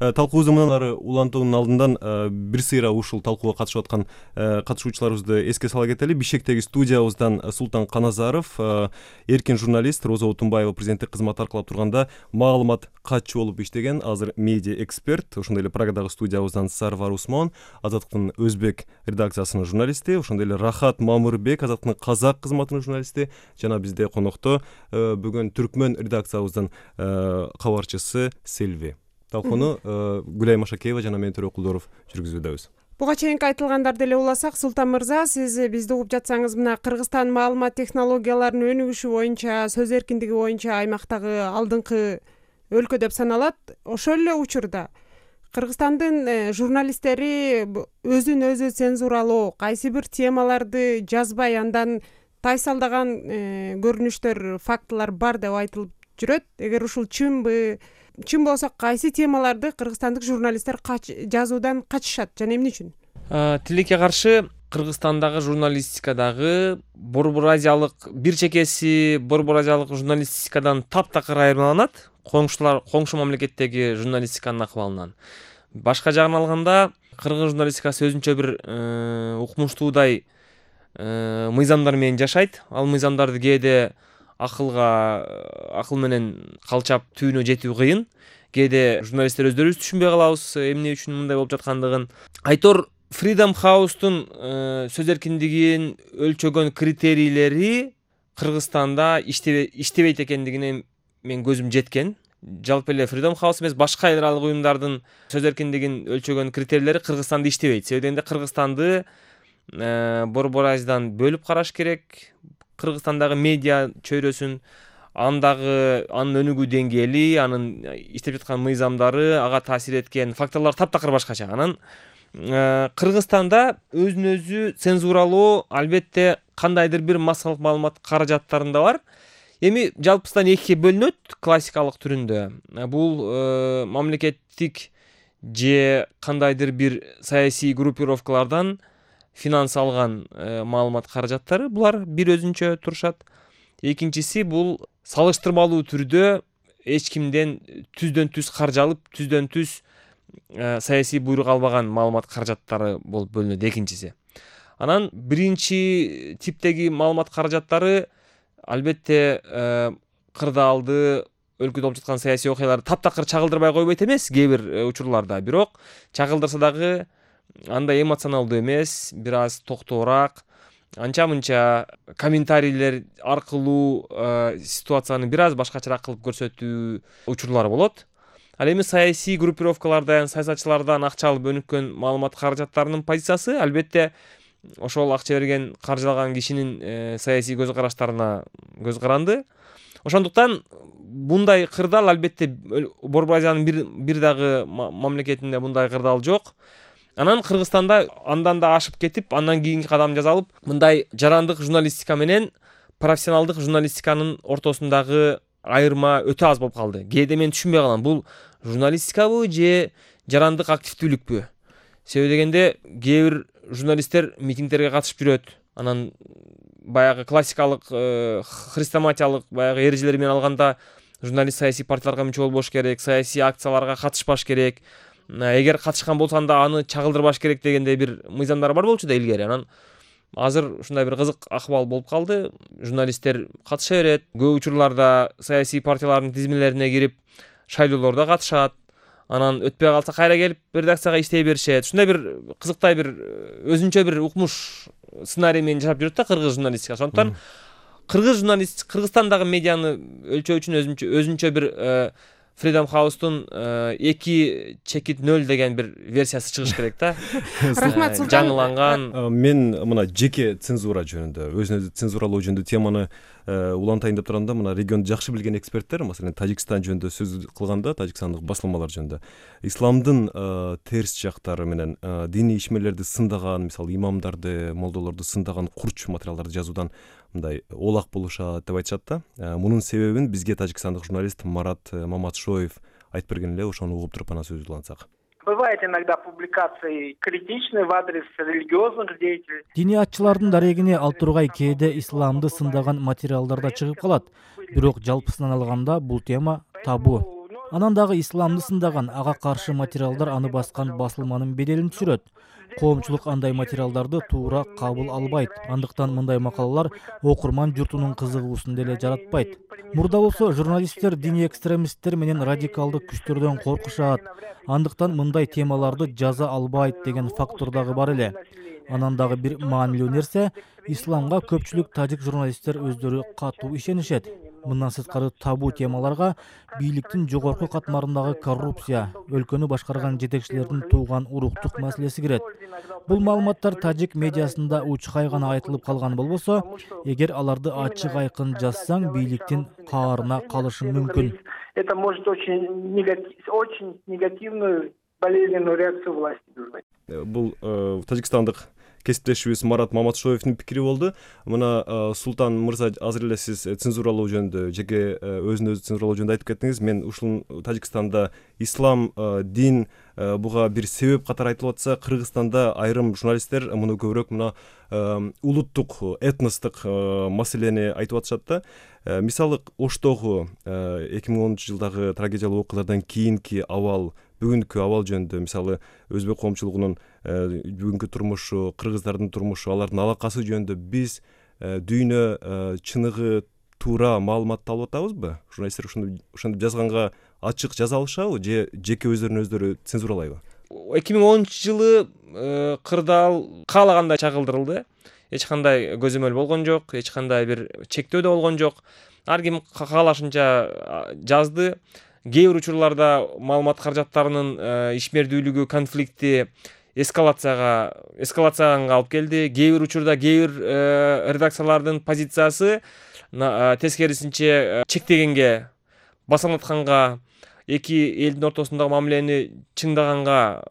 талкуубузду мындан ары улантуунун алдынан бир сыйра ушул талкууга катышып аткан катышуучуларыбызды эске сала кетели. Бишкектеги студиябыздан Султан Каназаров, эркин журналист, Роза Отунбаева президенттик кызмат аркылап турганда маалымат катчы болуп иштеген, азыр медиа эксперт. Ошондой эле Прагадагы студиябыздан Сарвар Усмон, Азаттыктын өзбек редакциясынын журналисти, ошондой эле Рахат Мамырбек, Азаттыктын казак кызматынын журналисти, жана бизде конокто бүгүн түркмөн редакциябыздын кабарчысы Селви. Талкууну Гүлай Машакеева жана мен Төрө Кулдоров жүргүзүүдөбүз. Буга чейинки айтылгандарды эле уласак, Султан мырза, сиз бизди угуп жатсаңыз, мына Кыргызстан маалымат технологияларынын өнүгүшү боюнча, сөз эркиндиги боюнча аймактагы алдыңкы өлкө деп саналат. Ошол эле учурда Кыргызстандын журналисттери өзүн өзү цензуралоо, кайсы бир темаларды жазбай, андан тайсалдаган көрүнүштөр, фактылар бар деп айтылып жүрөт. Эгер ушул чын болсо, кайсы темаларды кыргызстандык журналисттер жазуудан качышат жана эмне үчүн? Тилекке каршы Кыргызстандагы журналистикадагы Борбор Азиялык бир чекеси Борбор Азиялык журналистикадан таптакыр айырмаланат коңшу мамлекеттеги журналистиканын акыбалынан. Башка жагын алганда, кыргыз журналистикасы өзүнчө бир укмуштуудай мыйзамдар менен жашайт. Ал мыйзамдарды кээде акыл менен калчап түбүнө жетүү кыйын. Кээде журналисттер өздөрүбүз түшүнбөй калабыз эмне үчүн мындай болуп жаткандыгын. Айтор Freedom House'тун сөз эркиндигин өлчөгөн критерийлери Кыргызстанда иштебейт экендигине мен көзүм жеткен. Жалпы эле Freedom House эмес, башка эл аралык уюмдардын сөз эркиндигин өлчөгөн критерийлери Кыргызстанда иштебейт. Себеби дегенде Кыргызстанды Борбор Азиядан бөлүп караш керек. Кыргызстандагы медиа чөйрөсүн, анын өнүгүү деңгээли, анын иштеп жаткан мыйзамдары, ага таасир эткен факторлор таптакыр башкача. Анан Кыргызстанда өзүн өзү цензуралоо албетте кандайдыр бир массалык маалымат каражаттарында бар. Эми жалпысынан экиге бөлүнөт классикалык түрүндө. Бул мамлекеттик же кандайдыр бир саясий группировкалардан финанс алган маалымат каражаттары, булар бир өзүнчө турушат. Экинчиси бул салыштырмалуу түрдө эч кимден түздөн түз каржы алып, түздөн түз саясий буйрук албаган маалымат каражаттары болуп бөлүнөт экинчиси. Анан биринчи типтеги маалымат каражаттары албетте кырдаалды, өлкөдө болуп жаткан саясий окуяларды таптакыр чагылдырбай койбойт эмес кээ бир учурларда. Бирок чагылдырса дагы андай эмоционалдуу эмес, бир аз токтоораак, анча-мынча комментарийлер аркылуу ситуацияны бир аз башкачараак кылып көрсөтүү учурлары болот. Ал эми саясий группировкалардан, саясатчылардан акча алып өнүккөн маалымат каражаттарынын позициясы албетте ошол акча берген, каржылаган кишинин саясий көз караштарына көз каранды. Ошондуктан мындай кырдаал албетте Борбор Азиянын бир дагы мамлекетинде мындай кырдаал жок. Анан Кыргызстанда андан да ашып кетип, андан кийинки кадам жасалып, мындай жарандык журналистика менен профессионалдык журналистиканын ортосундагы айырма өтө аз болуп калды. Кээде мен түшүнбөй калам, бул журналистикабы же жарандык активдүүлүкпү? Себеби дегенде кээ бир журналисттер митингдерге катышып жүрөт. Анан баягы классикалык хрестоматиялык баягы эрежелер менен алганда журналист саясий партияларга мүчө болбош керек, саясий акцияларга катышпаш керек. Эгер катышкан болсаң да аны чагылдырбаш керек дегендей бир мыйзамдар бар болчу да илгери. Анан азыр ушундай бир кызык акыбал болуп калды. Журналисттер катыша берет. Көп учурларда саясий партиялардын тизмелерине кирип шайлоолордо катышат. Анан өтпөй калса кайра келип редакцияга иштей беришет. Ушундай бир кызыктай бир өзүнчө бир укмуш сценарий менен жашап жүрөт да кыргыз журналистика. Ошондуктан Кыргызстандагы медианы өлчөө үчүн өзүнчө бир Freedom House'тун 2 чекит 0 деген бир версиясы чыгыш керек да. Рахмат, Султан. Жаңыланган. Мен мына жеке цензура жөнүндө, өзүн өзү цензуралоо жөнүндө теманы улантайын деп турганда, мына регионду жакшы билген эксперттер, маселен, Тажикстан жөнүндө сөз кылганда, тажикстандык басылмалар жөнүндө исламдын терс жактары менен диний ишмерлерди сындаган, мисалы, имамдарды, молдолорду сындаган курч материалдарды жазуудан мындай олак болушат деп айтышат да. Мунун себебин бизге тажикстандык журналист Марат Маматшоев айтып берген эле, ошону угуп туруп анан сөз улантсак. Бывает иногда публикации критичные в адрес религиозных деятелей. Динiyatçılardын дарегине ал тургай кээде исламды сындаган материалдар да чыгып калат. Бирок жалпысынан алганда бул тема табу. Анан дагы исламды сындаган, ага каршы материалдар аны баскан басылманын беделин түшүрөт. Коомчулук андай материалдарды туура кабыл албайт. Андыктан мындай макалалар окурман журтунун кызыгуусун деле жаратпайт. Мурда болсо журналисттер диний экстремисттер менен радикалдык күчтөрдөн коркушат. Андыктан мындай темаларды жаза албайт деген фактор дагы бар эле. Анан дагы бир маанилүү нерсе, исламга көпчүлүк тажик журналисттер өздөрү катуу ишенишет. Мындан сырткары табу темаларга бийликтин жогорку катмарындагы коррупция, өлкөнү башкарган жетекчилердин тууган уруктук маселеси кирет. Бул маалыматтар тажик медиасында учкай гана айтылып калган болбосо, эгер аларды ачык айкын жазсаң, бийликтин каарына калышың мүмкүн. Это может очень негативную, болезненную реакцию власти вызвать. Бул тажикстандык кесиптешибиз Марат Маматшоевдин пикири болду. Мына Султан мырза азыр эле сиз цензуралоо жөнүндө, жеке өзүн өзү цензуралоо жөнүндө айтып кеттиңиз. Мен ушул Тажикстанда ислам, дин буга бир себеп катары айтылып атса, Кыргызстанда айрым журналисттер муну көбүрөөк мына улуттук, этностук маселени айтып атышат да. Мисалы Оштогу 2010-жылдагы трагедиялык окуялардан кийинки абал, бүгүнкү абал жөнүндө, мисалы өзбек коомчулугунун бүгүнкү турмушу, кыргыздардын турмушу, алардын алакасы жөнүндө биз дүйнө чыныгы туура маалыматты алып атабызбы? Журналисттер ошондо жазганга ачык жаза алышабы же жеке өздөрү цензуралайбы? 2010-жылы кырдаал каалагандай чагылдырылды. Эч кандай көзөмөл болгон жок, эч кандай бир чектөө да болгон жок. Ар ким каалашынча жазды. Кээ бир учурларда маалымат каражаттарынын ишмердүүлүгү, конфликти эскалацияга алып келди. Кээ бир учурда кээ бир редакциялардын позициясы тескерисинче чектегенге, басаңдатканга, эки элдин ортосундагы мамилени чыңдаганга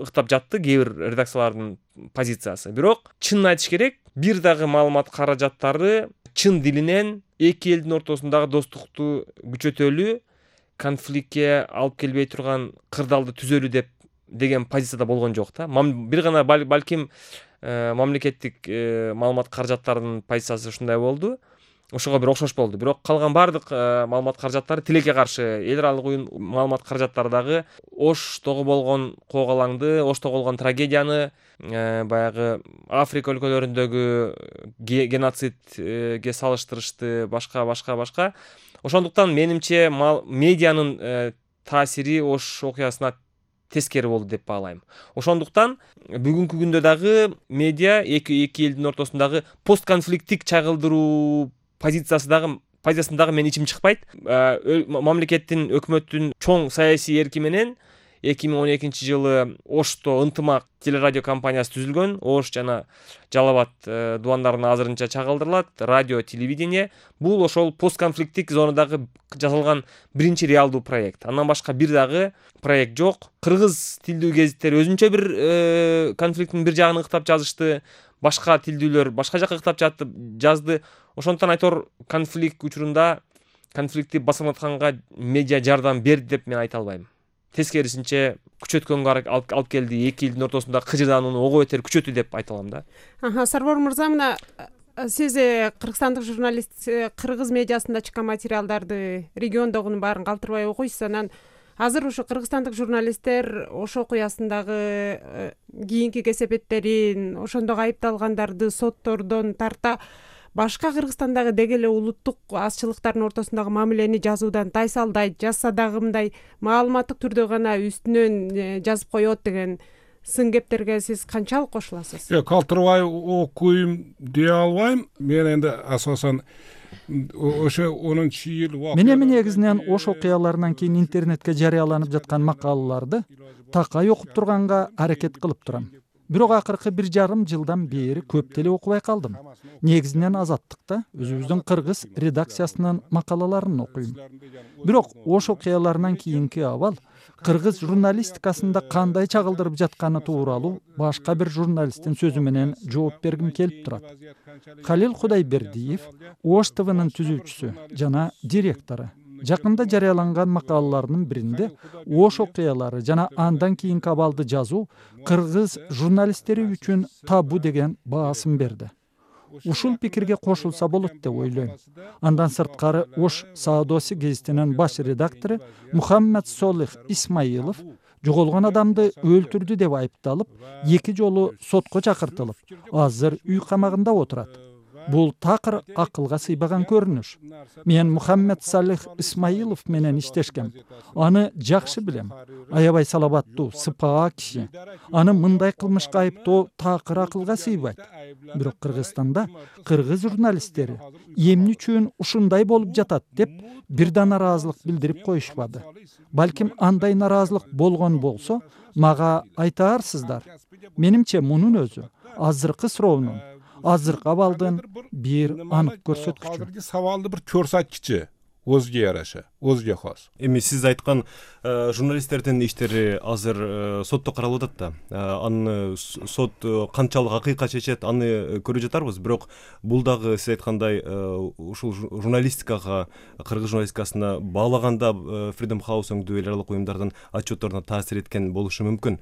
ыктап жатты кээ бир редакциялардын позициясы. Бирок чынын айтыш керек, бир дагы маалымат каражаттары чын дилинен эки элдин ортосундагы достукту күчөтөлү, конфликтке алып келбей турган кырдаалды түзөлү деген позицияда болгон жок да. Бир гана балким мамлекеттик маалымат каражаттарынын позициясы ушундай болду. Ошого бир окшош болду. Бирок калган бардык маалымат каражаттары тилекке каршы эл аралык уюм маалымат каражаттары дагы Оштогу болгон коогалаңды, Оштогу болгон трагедияны, баягы Африка өлкөлөрүндөгү геноцидге салыштырышты, башка. Ошондуктан менимче медианын таасири Ош окуясына тескери болду деп баалайм. Ошондуктан бүгүнкү күндө дагы медиа эки элдин ортосундагы постконфликттик чагылдыруу позициясын дагы мен ичим чыкпайт. Мамлекеттин, өкмөттүн чоң саясий эрки менен 2012-жылы Ошто ынтымак телерадио компаниясы түзүлгөн. Ош жана Жалал Абад дубандарын азырынча чагылдырылат. Радио, телевидение. Бул ошол постконфликттик зонадагы жасалган биринчи реалдуу проект. Андан башка бир дагы проект жок. Кыргыз тилдүү гезиттер өзүнчө бир конфликттин бир жагын ыктап жазышты. Башка тилдүүлөр башка жакка ыктап жазды. Ошондуктан айтор конфликт учурунда конфликтти басаңдатканга медиа жардам берди деп мен айта албайм. Тескерисинче күчөткөнгө алып келди, эки элдин ортосунда кыжырдаанууну ого бетер күчөттү деп айта алам да. Сарбор мырза, мына сиз кыргызстандык журналист, кыргыз медиасында чыккан материалдарды, региондогунун баарын калтырбай окуйсуз. Анан азыр ушу кыргызстандык журналисттер Ош окуясындагы кийинки кесепеттерин, ошондогу айыпталгандарды соттордон тарта башка Кыргызстандагы деги эле улуттук азчылыктардын ортосундагы мамилени жазуудан тайсалдайт, жазса дагы мындай маалыматтык түрдө гана үстүнөн жазып коет деген сын кептерге сиз канчалык кошуласыз? Калтырбай окуйм дей албайм. Мен энди асосан ошо 10-жыл Мен эми негизинен Ош окуяларынан кийин интернетке жарыяланып жаткан макалаларды такай окуп турганга аракет кылып турам. Бирок акыркы 1,5 жылдан бери көп деле окубай калдым. Негизинен Азаттыкта өзүбүздүн кыргыз редакциясынын макалаларын окуйм. Бирок Ош окуяларынан кийинки абал кыргыз журналистикасында кандай чагылдырып жатканы тууралуу башка бир журналисттин сөзү менен жооп бергим келип турат. Халил Кудайбердиев, Ош ТВнын түзүүчүсү жана директору, жакында жарыяланган макалаларынын биринде Ош окуялары жана андан кийинки абалды жазуу кыргыз журналисттери үчүн табу деген баасын берди. ушул пикирге кошулса болот деп ойлойм. Андан сырткары Ош Саадоси гезитинин баш редактору Мухаммед Солих Исмаилов жоголгон адамды өлтүрдү деп айыпталып, 2 жолу сотко чакыртылып, азыр үй камагында отурат. Бул такыр акылга сыйбаган көрүнүш. Мен Мухаммед Салих Исмаилов менен иштешкем. Аны жакшы билем. Аябай салабаттуу, сыпаа киши. Аны мындай кылмышка айыптоо такыр акылга сыйбайт. Бирок Кыргызстанда кыргыз журналисттери эмне үчүн ушундай болуп жатат деп бир да нараазылык билдирип коюшпады. Балким андай нараазылык болгон болсо, мага айтаарсыздар. Менимче мунун өзү азыркы суроонун, азыркы абалдын бир анык көрсөткүчү. Азыркы сабалды бир көрсөткүчү. Өзгө яраша, өзгө хос. Эми сиз айткан журналисттердин иштери азыр сотто каралып атат да. Аны сот канчалык акыйкат чечет, аны көрүп жатарбыз. Бирок бул дагы сиз айткандай ушул журналистикага, кыргыз журналистикасына баалаганда Freedom House өңдүү эл аралык уюмдардын отчетторуна таасир эткен болушу мүмкүн.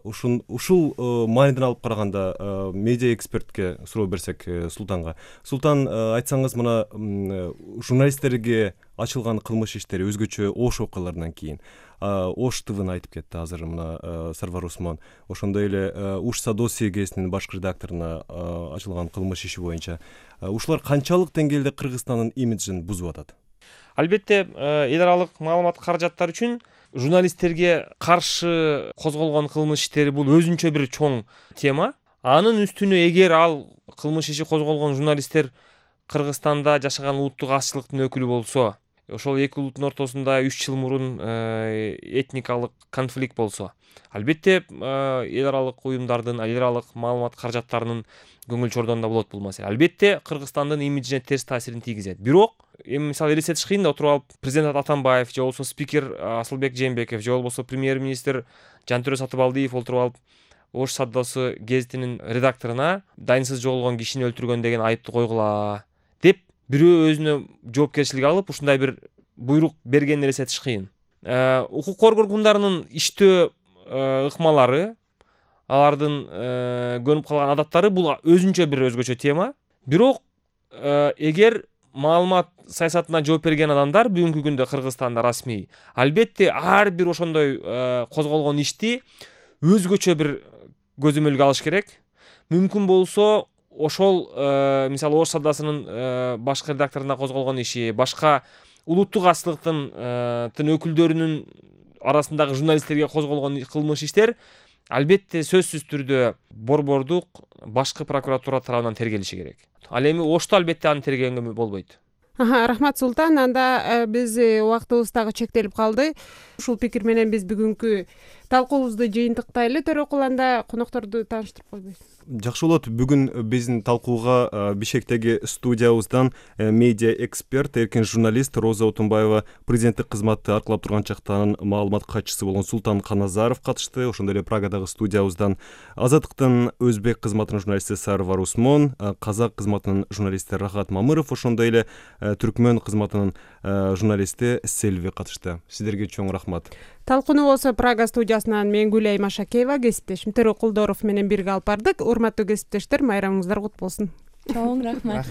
Ушул мааниден алып караганда медиа экспертке суроо берсек Султанга. Султан, айтсаңыз мына журналисттерге ачылган кылмыш иштери өзгөчө Ош окуяларынан кийин Ош ТВны айтып кетти азыр мына Сарвар Усман. Ошондой эле Уш Садоси гезитинин баш редакторуна ачылган кылмыш иши боюнча ушулар канчалык деңгээлде Кыргызстандын имиджин бузуп атат? Албетте, эл аралык маалымат каражаттар үчүн журналисттерге каршы козголгон кылмыш иштери бул өзүнчө бир чоң тема. Анын үстүнө эгер ал кылмыш иши козголгон журналисттер Кыргызстанда жашаган улуттук азчылыктын өкүлү болсо, ошол эки улуттун ортосунда 3 жыл мурун этникалык конфликт болсо, албетте эл аралык уюмдардын, эл аралык маалымат каражаттарынын көңүл чордонунда болот бул маселе. Албетте Кыргызстандын имиджине терс таасирин тийгизет. Бирок эми мисалы элестетиш кыйын да, отуруп алып президент Атамбаев же болбосо спикер Асылбек Жээнбеков же болбосо премьер-министр Жантөрө Сатыбалдиев отуруп алып Ош Садоси гезитинин редакторуна дайынсыз жоголгон кишини өлтүргөн деген айыпты койгула деп бирөө өзүнө жоопкерчилик алып ушундай бир буйрук бергенин элестетиш кыйын. Укук коргоо органдарынын иштөө ыкмалары, алардын көнүп калган адаттары бул өзүнчө бир өзгөчө тема. Бирок эгер маалымат саясатына жооп берген адамдар бүгүнкү күндө Кыргызстанда расмий, албетте ар бир ошондой козголгон ишти өзгөчө бир көзөмөлгө алыш керек. Мүмкүн болсо ошол мисалы Ош Садосинин башкы редакторуна козголгон иши, башка улуттук азчылыктын өкүлдөрүнүн арасындагы журналисттерге козголгон кылмыш иштер албетте сөзсүз түрдө борбордук башкы прокуратура тарабынан тергелиши керек. Ал эми Ошто албетте аны тергегенге болбойт. Рахмат Султан. Анда биз убактыбыз дагы чектелип калды. Ушул пикир менен биз бүгүнкү талкуубузду жыйынтыктайлы. Төрөкул, анда конокторду тааныштырып койбойсуң? Жакшы болот. Бүгүн биздин талкууга Бишкектеги студиябыздан медиа эксперт, эркин журналист Роза Отунбаева, президенттик кызматты аркылап турган чактан маалымат катчысы болгон Султан Каназаров катышты. Ошондой эле Прагадагы студиябыздан Азаттыктын өзбек кызматынын журналисти Сарвар Усман, казак кызматынын журналисти Рахат Мамыров, ошондой эле түркмөн кызматынын журналисти Селви катышты. Сиздерге чоң рахмат. Талкууну болсо Прага студиясынан мен Гүлай Машакеева, кесиптешим Төрөкулдоров менен бирге алып бардык. Урматтуу кесиптештер, майрамыңыздар кут болсун. Чоң рахмат.